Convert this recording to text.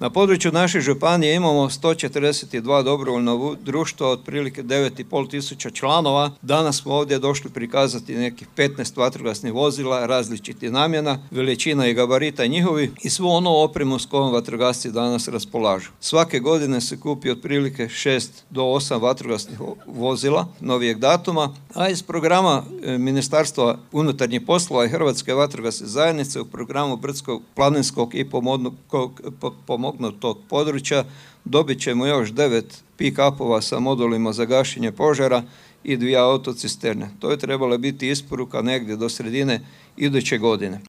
Na području naše županije imamo 142 dobrovoljna društva, otprilike 9,5 tisuća članova. Danas smo ovdje došli prikazati nekih 15 vatrogasnih vozila različitih namjena, veličina i gabarita njihovi i svu onu opremu s kojom vatrogasci danas raspolažu. Svake godine se kupi otprilike 6 do 8 vatrogasnih vozila novijeg datuma, a iz programa Ministarstva unutarnjih poslova i Hrvatske vatrogasne zajednice u programu brdsko-planinskog i pomognutog područja dobit ćemo još 9 pick-upova sa modulima za gašenje požara i 2 autocisterne. To je trebala biti isporuka negdje do sredine iduće godine.